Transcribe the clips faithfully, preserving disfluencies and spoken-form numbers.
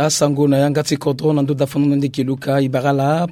Asango na yanga ti kodro na ndo dafano na ndeke luka ibara la.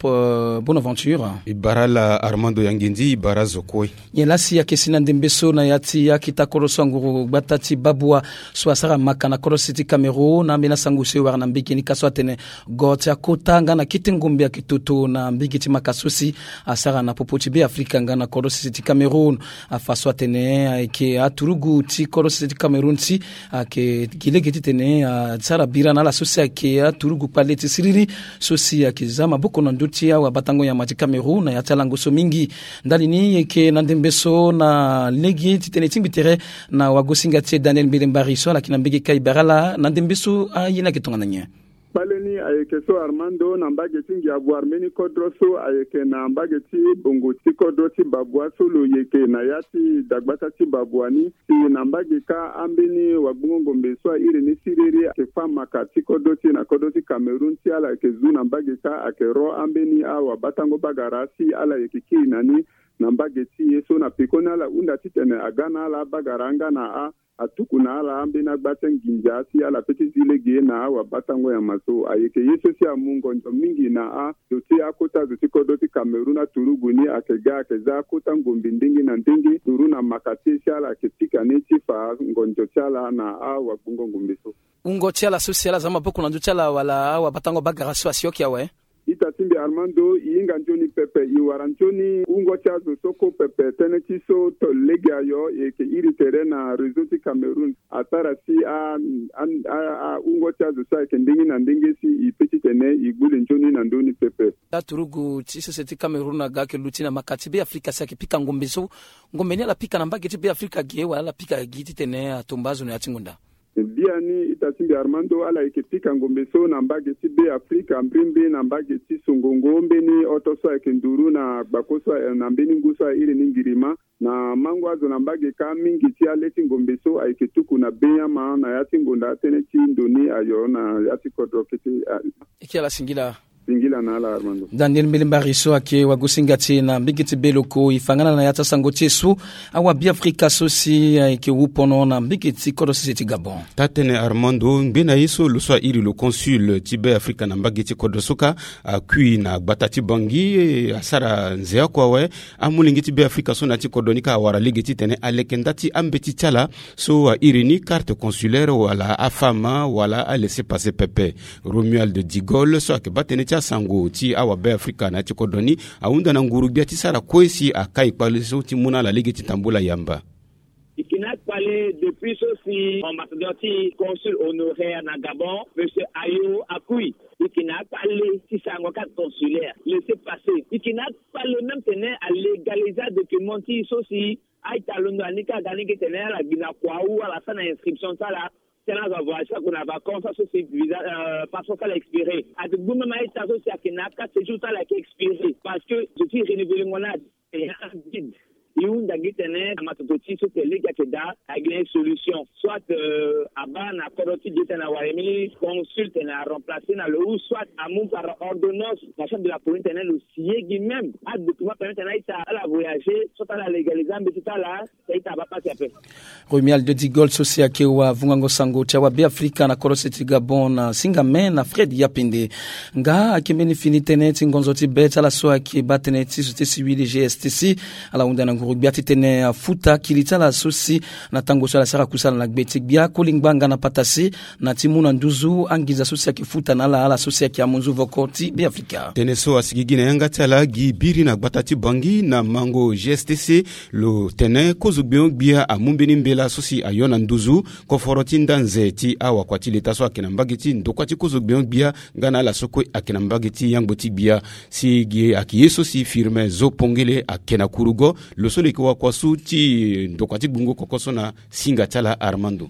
Bonaventure ibara la armando yangendi ibara zo kue. Nyen lasi ayeke si na ndembe so na ya ti akita kodro so anguru gbata ti babua so asara maka na kodro sese ti cameroun na ambeni asango so e wara na mbeke ni ka so atene go ti akota nga na kete ngombe ayeke toto na mbeke ti maka so si asara na popo ti be afrika nga na kodro sese ti cameroun. Afa so atene ayeke aturugu ti kodro sese ti cameroun si ayeke gi lege titene asara bira na ala so si ayeke aturugu kpale ti siriri so si ayeke za maboko na ndö ti awabatango nyama ti cameroun na ya ti alango so mingi. Ndali ni e yeke na ndembe so na lege titene e tingbi tere na wagosinga ti e daniel mbele mbari so ala yeke na mbege kai bara ala na ndembe so aye ni ayeke tongana nyen? Kpale ni ayeke so armando na mbage ti ngia voire mbeni kodro so ayeke na mbage ti bongo ti kodro ti babua so lo yeke na ya ti dagbata ti babua ni. Si na mbage kâ ambeni wagbongo ngombe so airi ni siriri ayeke fâ maka ti kodro ti e na kodro ti cameroun ti ala yeke zu na mbage kâ ayeke ro ambeni awabatango bagara si ala yeke kiri na ni na mbage ti e so na pekoni ala hunda titene aga na ala abagara nga na a atuku na ala ambeni agba ti anginza si ala pe ti zi lege na awabatango nyama so ayeke ye so si amu ngonzo mingi na ando ti akota zo ti kodro ti cameroun aturugu ni ayeke ga ayeke za akota ngombe ndenge na ndenge duru na maka ti e si ala yeke pika ni ti fa ngonzo ti ala na awagbongo ngombe so. Wungo ti ala so si ala za maboko na ndö ti ala wala awabatango bagara so asi oki awe? Ita ti mbi armando e hinga nzoni pepe e wara nzoni wungo ti azo so ko pepe tënë ti so to lege ayo e yeke iri tere na réseau ti cameroun asara si awungo ti azo so ayeke ndenge na ndenge si e pe titene e gbu le nzoni na ndö ni pepe. Aturugu ti sese ti cameroun aga ayeke luti na maka ti be afrika si ayeke pika ngombe so ngombe ni ala pika na mbage ti be afrika ge wala ala pika gi titene atomba azo na ya ti ngonda? Biani ita ti mbi armando ala yeke pika ngombe so na mbage ti be afrika mbrimbri na mbage ti songongo mbeni oto so ayeke nduru na gbako so na mbeni ngu so airi ni ngirima na mango azo na mbage kâ mingi ti ale ti ngombe so ayeke tuku na benyama na ya ti ngonda atënë ti ndo ni ayo na ya ti kodro kete. Eke ala singila. Singila na ala armando. Daniel mbele mbari so ayeke wagosinga ti e na mbege ti be loko e fa nga na na ya ti asango ti e so awabiafrika so si ayeke wu pono na mbege ti kodro sese ti gabon. Tatene armando ngbe na ye so lo so airi lo consul ti be afrika na mbage ti kodro so kâ akui na gbata ti bangi asara nze oko awe. Amolenge ti be afrika so na ya ti kodro ni kâ awara lege titene aleke nda ti ambeti ti ala so airi ni carte consulaire wala afama wala alese pase pepe. Romuald digol so ayeke baa tënë ti asango ti awabe afrika na ya ti kodro ni ahunda na nguru-gbia ti sara kue si akai kpale so ti mu na ala lege ti tambula yamba. E yeke na akpale depuis so si ambassadeur ti consul honoraire na gabon monsieur ayo akui. E yeke na akpale ti sarango carte consulaire laisser passer. E yeke na akpale même tene alégaliser adocument ti e so si a-ita alondo na ni kâ aga ni ge tene ala gbi na kua ou ala sara na inscription ti ala. Tena azo avoyage kâ ague na vacance aso si visa passeport ti ala expiré. Ate gbu même a-ita so si ayeke na aka séjour ti ala ayeke expiré parce que zo ti renouvelengo ni ade. E hunda gi tene na matoto ti so tene lege ayeke daa. Ayeke na ye solution soit abaa na kodro ti ge tene awara ye mbeni consul tene aremplacer na lo ou soit amu par ordonnance na chambre de la police tene lo si ye gi même adocument permet tene a-ita ala voyager soit ala légaliser ambeti ti ala. Romuald de digol so si ayeke wa vungango sango ti awabe afrika na kodro sese ti gabon na singame na fred yapende. Nga ayeke mbeni fini tënë ti ngonzo ti be ti ala so ayeke baa tënë ti so ti siwili gstc. Ala hunda na nguru-gbia titene afuta kili ti ala so si na tango so ala sara kusala na gbe ti gbia koli ngbanga na patasi na ti mu na nduzu anginza so si ayeke futa na ala ala so si ayeke amunzu voko ti be afrika. Tënë so asigi gi na yanga ti ala gi biri na gbata ti bangi na mango gstc. Lo tene kozo gbenyo-gbia amu mbeni mbela so si ayo na nduzu koforo ti nda nze ti awakua ti leta so ayeke na mbage ti ndokua ti kozo gbenyo-gbia nga na ala so kue ayeke na mbage ti yangbo ti gbia. Si gi ayeke ye so si firme zo pongele ayeke na kurugo. Lo so lo yeke wakua so ti ndokua ti gbungo koko so na singa ti ala armando.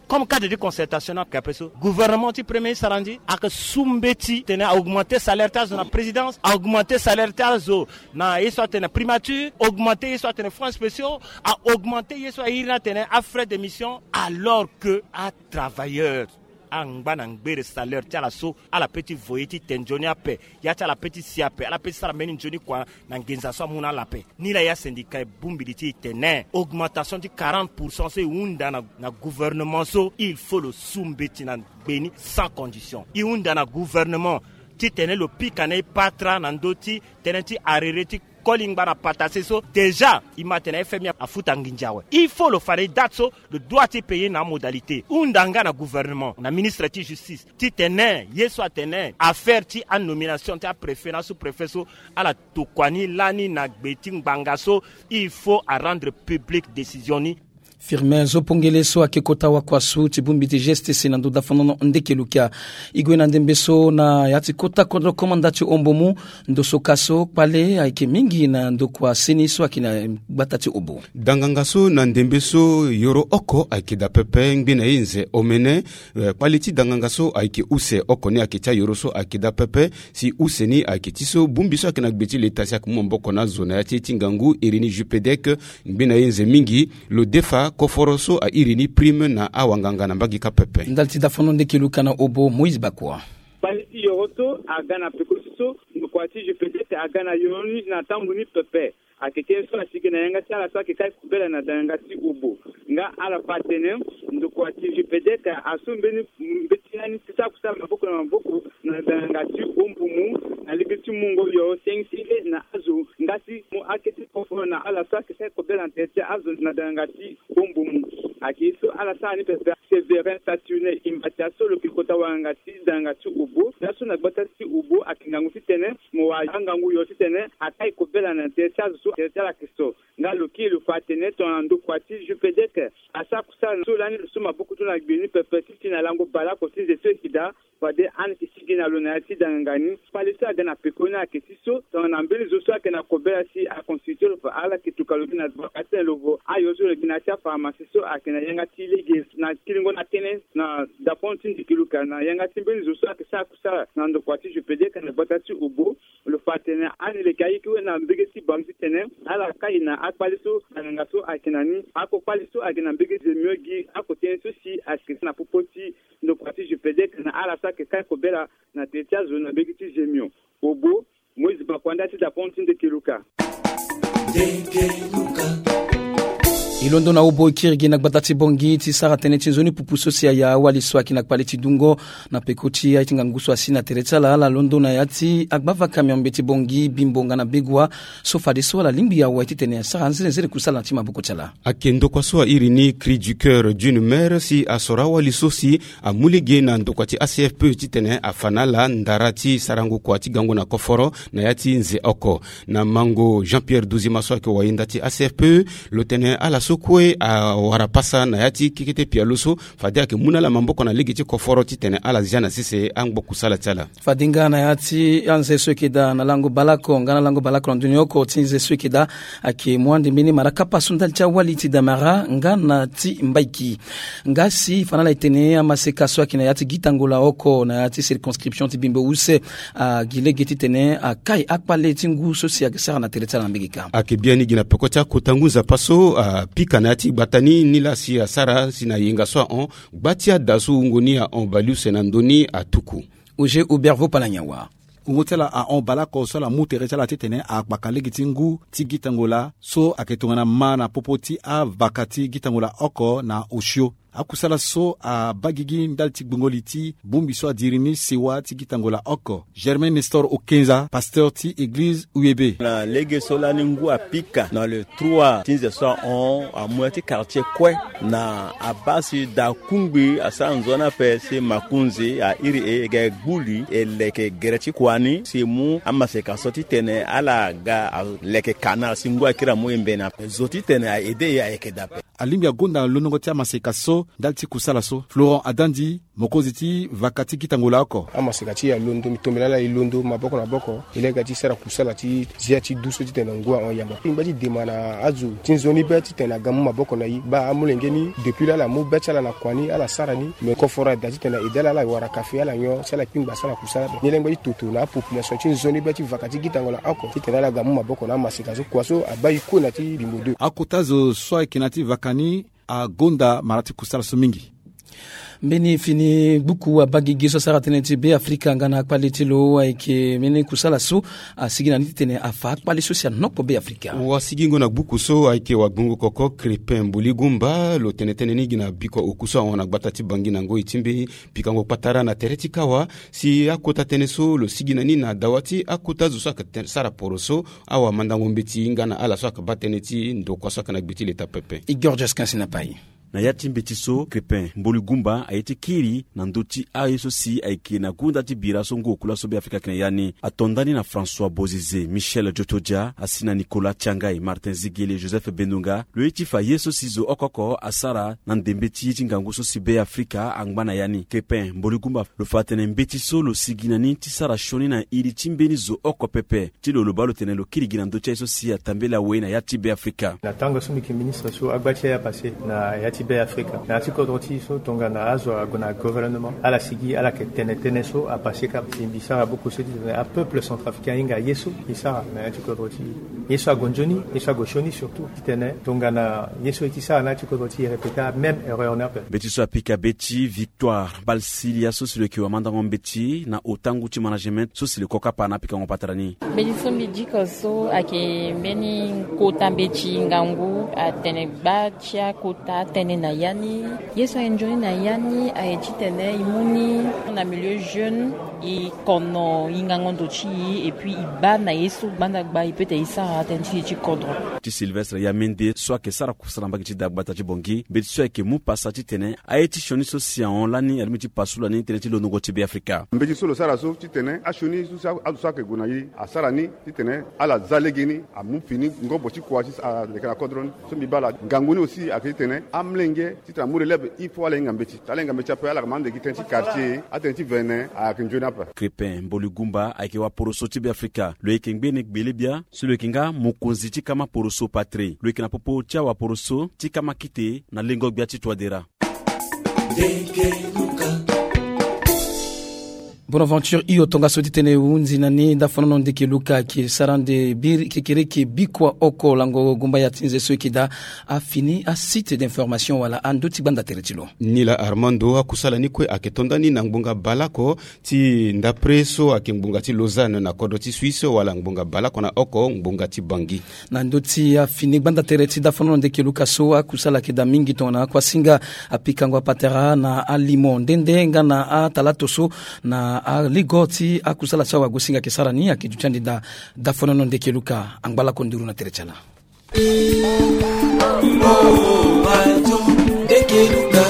Comme cadre de concertation na kape so gouvernement ti premier sarandi aka su mbeti tene a augmenter salaire ti azo na présidence, a augmenter salaire ti azo na ye so atene primature, augmenter ye so atene fonds spéciaux, a augmenter ye so airi ni atene a frais d'émission alors que a travailleur Angba na ngbere salaire ti ala so ala pe ti voye ti te nzoni ape. Ya ti ala pe ti si ape, ala pe ti sara mbeni nzoni kua na nginza so amu na ala ape. Ni laa ya syndicat e bongbi li ti e tene augmentation ti quarante pour cent so e hunda na gouvernement so, il faut lo su mbeti na gbe ni sans condition. E hunda na gouvernement titene lo pika na e patara na ndö ti tënë ti arrêté ti koli ngba na patase so. Déjà e ma tene fmi afuta nginza awe. Il faut lo fa na e date so lo doit ti payer na amodalité. Hunda nga na gouvernement na ministre ti justice titene ye so atene affaire ti anomination ti apréfet na asous-préfet so ala tokua ni lani na gbe ti ngbanga so, il faut arendre publique décision ni. Firmin Zopongele so ayeke kota wakuasu ti bongbi ti G S T C na ndo dafonono ndeke lukia. E gue na ndembe so na ya ti kota kodro komanda ti ombo mu ndo so ka so kpale ayeke mingi na ndokua seni so ayeke na gbata ti obo. Danganga so na ndembe so yoro oko ayeke daa pepe, ngbene ye nze omene. Eh, kpale ti danganga so ayeke use oko ni ayeke ti ayoro so ayeke daa pepe. Si use ni ayeke ti so bongbi so ayeke na gbe ti leta si ayeke mu maboko na azo na ya ti ye ti ngangu iri ni Jupedec. Ngbene ye nze mingi lo defa koforo so airi ni prime na awanganga na mbage kâ pepe. Ndali ti dafono ndeke luka na obo Moïse Bakua. Kpale ti yoro so aga na peko ti so ndokua ti Jupedec aga na yoro ni na tambula ni pepe. Ayeke tënë so asigi na yanga ti ala so ayeke kai kobela na danganga ti obo. Nga ala fa atene ndokua ti Jupedec asu mbeni mbeti lani ti sara kusala maboko na maboko na danganga ti ombumu na lege ti mungo yoro senge senge na azo nga ti mu akete koforo na ala so ayeke sara kobela na tere ti azo na danganga ti ombumu. Ayeke ye so ala sara ni pepe. Séverin Saturnin Imbatia so lo yeke kota wanganga ti danganga ti obo laso na gbata ti obo ayeke ngangu titene mo wara angangu yoro titene akai kobela na tere ti azo so tere ti ala ayeke so. Nga lo kiri lo fa atene tongana ndokua ti Jupedec asara kusala so lani lo so maboko ti lo na gbe ni pepe ti ti na lango baleoko ti nze so e yeke daa. Fade ani yeke sigi na lo na ya ti danganga ni. Kpale so aga na peko ni ayeke ti so tongana mbeni zo so ayeke na kobela si aconstitue lo fa ala yeke tuka lo gi na vaka titene lo vo ayo so lo yeke na ya ti apharmacie so ayeke na yanga ti lege na kiringo na tënë na dapono ti ndiki luka na yanga ti mbeni zo so ayeke sara kusala na ndokua ti Jupedec na gbata ti obo. Lo fa atene ani leke ayeke we na mbege ti bango titene ala kai na akpale so na nganga so ayeke na ni. Ako kpale so ayeke na mbege zemio gi ako tënë so si ayeke na popo ti ndokua ti Jupedec na ala so ayeke kai kobela na tere ti azo na mbege ti zemio. Obo Moïse Bakua nda ti dapono ti ndeke luka. E londo na obo e kiri gi na gbata ti Bangui ti sara tënë ti nzoni pupu so si aya awali so ayeke na kpale ti dungo na peko ti aye ti ngangu so asi na tere ti ala ala londo na ya ti agba va camion mbeti Bangui, Bimbo nga na Begoua so fadeso ala lingbi awe titene asara nzere nzere kusala na ti maboko ti ala. Ayeke ndokua so airi ni Cri du Coeur d'une Mère si asoro awali so si amu lege na ndokua ti A C F P E titene afa na ala ndara ti sarango kua ti gango na koforo na ya ti nze oko. Na mango Jean-Pierre Duzima so ayeke wayenda ti A C F P E, lo tene ala so kue awara pasa na ya ti kekete pialo so fade ayeke mu na ala maboko na lege ti koforo titene ala zia na sese angbo kusala ti ala. Fade nga na ya ti anze so eke daa na lango baleoko nga na lango baleoko na ndoni oko ti nze so eke daa, ayeke mu ande mbeni mara kapa so ndali ti awali ti damara nga na ti mbaiki. Nga si fa na ala e tene amaseka so ayeke na ya ti gitango laoko na ya ti circonscription ti Bimbo use, agi lege titene akai akpale ti ngu so si ayeke sara na tere ti ala na mbege kâ. Ayeke biani gi na peko ti akota ngu nzapa so apika na ya ti gbata ni ni laa si asara si na yenga so ahon gba ti ada so wungo ni ahon baleuse na ndö ni atuku. Auger Hubert Vopalanya wa. Wungo ti ala ahon baleoko so ala mu tere ti ala titene agbaka lege ti ngu ti gitango laa so ayeke tongana ma na popo ti avaka ti gitango laa oko na osio. Akusala so abaa gigi ndali ti gbongo li ti bongbi so adiri ni sewa ti gitango laa oko. Germain Nestor Okenza, pasteur ti eglize U E B. Na lege so lani ngu apika na le trois ti nze so ahon amu ya ti quartier kue na abaa si daa kungbi asara nzoni ape si makonzi airi e e ga e gbu li e leke gere ti kua ni si e mu amaseka so titene ala ga aleke ka na ala si ngu akiri amu e mbeni ape. Zo titene a aide e ayeke daa ape. Alingbi agonda na londongo ti amaseka so ndali ti kusala so. Florent Adandi, mokonzi ti vaka ti gitango laa oko. Amaseka ti e alondo, mbi tombela ala e londo maboko na maboko. E lege ti sara kusala ti zia ti du so titene ngu ahon yamba. Ngba ti dema na azo ti nzoni be titene aga mu maboko na e. Baa amolenge ni depuis laa ala mu be ti ala na kua ni ala sara ni. Me koforo ada titene aide ala ala wara kafe ala nyon si ala kpingba asara kusala ape. Ni laa ngba ti toto na apopulation ti nzoni be ti vaka ti gitango laa oko titene ala ga mu maboko na amaseka so kua so abaa e kue na ti Bimbo deux. Akota zo so ayeke na ya ti vaka ni agonda mara ti kusala so mingi. Mbeni fini gbuku abaa gigi so asara tënë ti Be Afrika nga na akpale ti lo ayeke mbeni kusala so asigi na ni titene afa akpale so si anokpo Be Afrika. Wasigingo na gbuku so ayeke wagbongo koko Crépin Mboligumba, lo tene tënë ni gi na biko oku so ahon na gbata ti Bangui na ngoi ti mbeni pikango kpatara na tere ti kawa, si akota tënë so lo sigi na ni na dawa ti akota zo so ayeke sara poroso, awamandango mbeti nga na ala so ayeke baa tënë ti ndokua so ayeke na gbe ti leta pepe. Igor Jaskin si na pai. Na ya ti mbeti so, Crépin Mboligumba aye ti kiri na ndö ti aye so si ayeke na gunda ti bira so ngu oku laso Be Afrika ayeke na ya ni. Ato ndani na François Bozizé, Michel Djotodia, asi na Nicolas Tiangai, Martin Zigele, Joseph Bendonga, lo ye ti fa ye so si zo oko oko asara na ndembe ti ye ti ngangu so si Be Afrika angba na ya ni. Crépin Mboligumba lo fa atene mbeti so lo sigi na ni ti sara sioni na iri ti mbeni zo oko pepe. Ti lo lo baa lo tene lo kiri gi na ndö ti aye so si atambela awe na ya ti Be Afrika. Na tango so mbi yeke ministre so agba ti aye apassé na ya ti Be Afrika, na ya ti kodro ti e so tongana azo ague na gouvernement, ala sigi ala yeke tene tënë so apassé kâ. Si mbi sara beaucoup so ti tene apeuple centrafricain ahinga ye so e sara na ya ti kodro ti e, ye so ague nzoni, ye so ague sioni surtout, ti tene tongana ye so e ti sara na ya ti kodro ti e répéter amême erreur ni ape. Mbeti so apika be ti Victoire Balsilia so si lo yeke wamandango mbeti na otangu ti management so si lo kokapa na apikango patara ni. Mbeti so mbi diko so ayeke mbeni kota mbeti ngangu atene gba ti akota atënë na ya ni. Ye so aye nzoni na ya ni aye titene e mu ni na milieu jeune, e kono e ngango ndo ti e, et puis e baa na ye so gbanda gba e peut tene e sara tënë ti e ti kodro. Ti Sylvestre Yamende so ayeke sara kusala na mbage ti dagbata ti Bangui, mbeti so ayeke mu pasa titene aye ti sioni so si ahon lani alingbi ti pasu lani tënë ti londongo ti Be Afrika. Mbeti so lo sara so titene asioni so si azo so ayeke gue na e asara ni titene ala za lege ni amu fini ngobo ti kua ti aleke na kodro ni. So mbi baa ala ngangu ni aussi ayeke titene amolenge titene amu relève il faut ala hinga mbeti. Tala hinga mbeti ape ala yeke ma ande gi tënë ti quartier, atënë ti vene ayeke nzoni ape. Crépin Mboligumba ayeke waporoso ti Be Afrika. Lo yeke ngbene gbele bia so lo yeke nga mokonzi ti kama poroso patrie. Lo yeke na popo ti awaporoso ti kama kite na lengo gbia ti Touadéra. Bonaventure Iyo, tongaso titene e hunzi na ni dafonono ndeke Luka ayeke sara ande biri kekereke bikua oko lango gumbaya ti nze so e yeke daa afini asite d'information wala andö ti gbanda tere ti lo. Ni laa Armando, akusala ni kue ayeke to ndani na ngbonga baleoko ti ndapre so ayeke ngbonga ti Lausanne na kodro ti Suisse wala ngbonga baleoko na oko ngbonga ti Bangui. Na ndö ti afini gbanda tere ti dafonono ndeke Luka so, akusala ayeke daa mingi tongana akuasinga, apikango apatara na alimo nde nde nga na atalato so na aligo ti akusala so awagosinga ayeke sara ni ayeke duti ande daa. Dafonono ndeke Luka, angba lako nduru na tere ti ala.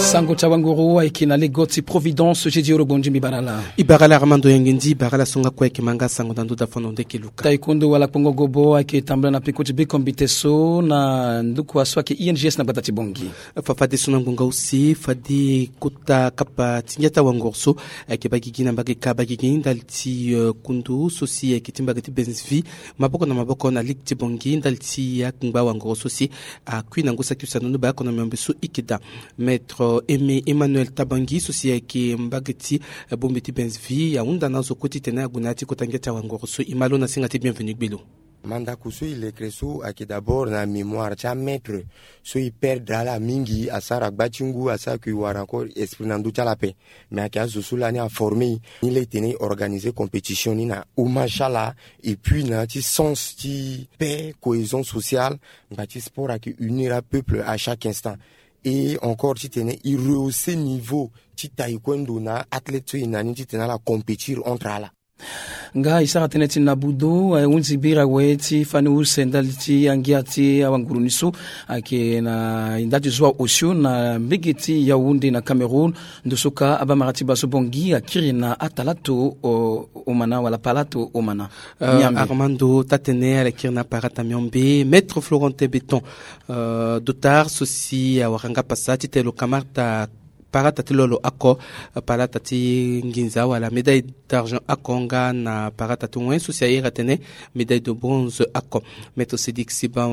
Sango ti awanguru ayeke na lego ti Providence, Jedi Oro Gbonzi, mbi bara ala. E bara ala Armando Yangendi, e bara ala so nga kue ayeke ma nga sango na ndö dafonono ndeke Luka. Taekwondo wala kpongo gobo ayeke tambula na peko ti bekombite so na ndukua so ayeke I N G S na gbata ti Bangui. Fa fadeso na ngbonga use, fade kota kapa ti ngia ti awanguru so ayeke baa gigi na mbage ka baa gigi ndali ti, eh, kundu so si ayeke ti mbage ti Benzvi maboko na maboko na ligue ti Bangui ndali ti akpengba wangoro so si akui na ngu saki use na ndo ni baa oko na miombe so e yeke daa. Maître Aimé Emmanuel Tabangi so si ayeke mbage ti, eh, bombe ti Benzvi ahunda na azo kue titene ague na ya ti kota ngia ti awangoro so. E ma lo na singa ti Bienvenu Gbelo. Mandako so e lekere so ayeke d'abord na mémoire ti amaître so e perdre ala mingi, asara gba ti ngu, asara que e wara encore esprit na ndö ti ala ape. Mais ayeke azo so lani aforme e ni la e tene e organiser compétition ni na hommage ti ala, et puis na ya ti sens ti paix, cohésion sociale, ngba ti sport ayeke unir apeuple à chaque instant. Et encore titene e rehausser niveau ti taekwondo na athlète so e na ni titene ala compétir entre ala. Nga e sara tënë ti nabudo, eh, hunzi biri awe ti fani use ndali ti angia ti awanguru ni so ayeke na e nda ti zo aosio na mbege ti Yaoundé na Cameroun. Ndo so ka abamara ti baa so Bangui akiri na atalato, o, omana wala palato omana. Euh, Niambe. Armando, taa tënë ala kiri na parata miombe, Maître Florentin Béton, euh, Dotard so si awara nga pasa titene lo kamata parata ti lolo oko, parata ti nginza wala médaille d'argent oko nga na parata ti wen so si a iri atene médaille de bronze oko. Maître Sidik Siba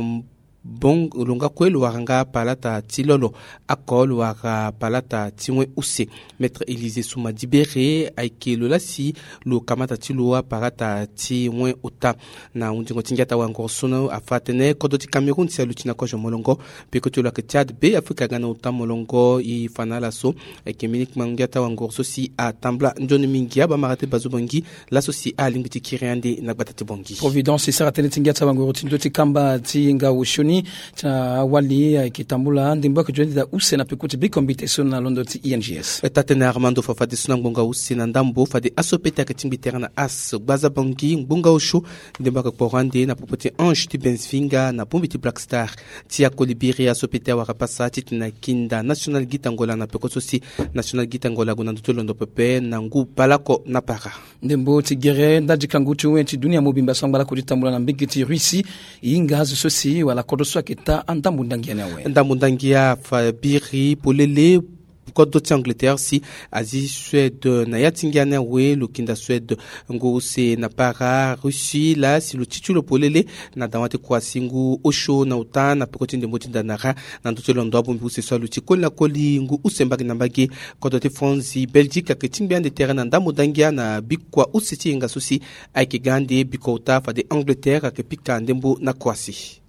Bong lo nga kue lo wara nga palata ti lolo. Ako lo wara palata ti wen use. Maître Élysée Souma Dibéré ayeke lo lasi lo kamata ti lo apalata ti wen ota. Na hundingo ti ngia ti awangoro so afa atene kodro ti Cameroun si aluti na kozo molongo. Peko ti lo ayeke Tchad, Be Afrika aga na ota molongo. E fa na ala so ayeke mingi kmangu ngia ti awangoro so si atambula nzoni mingi. Abamara ti Bazo Bongi laso si alingbi ti kiri ande na gbata ti Bongi. Providence e sara tënë ti ngia ti awangoro ti ndö ti kamba ti ngau sioni ti awali ayeke tambula ndembo ayeke zo ni daa use na peko ti biko mbite so na londo ti I N G S. Taa-tënë Armando fa fadeso na ngbonga use na ndambo fade aso pete ayeke tingbi tere na as gbaza Bongi ngbonga osio. Ndembo ayeke kporo ande na popo ti Ange ti Benfica na bongbi ti Black Star. Ti akoli biri aso pete awara pasa titene akinda National Guita Angola na peko so si National Guita Angola ague na ndö ti londo pepe na ngu baleoko na para. Ndembo ti gere ndali ti kangu ti wen ti dunia mobimba so angba lakue ti tambula na mbage ti Russie. E hinga azo so si wala kodro so ayeke taa andambo ndangi ya ni awe. Ndambo ndangi afa biri polele. Kodro ti Angleterre si azi Suède na ya ti ngia ni awe. Lo kinda Suède ngu use na para. Russie laa si lo ti ti lo polele na dawa ti Croatie ngu osio na ota na peko ti ndembo ti ndanara. Na ndö ti londo abongbi use so aluti koli na koli ngu use mbage na mbage. Kodro ti France, Belgique ayeke tingbi ande tere na ndambo ndangia na bikua use ti yenga so si ayeke ga ande bikua ota fade Angleterre ayeke pika ndembo na Croatie.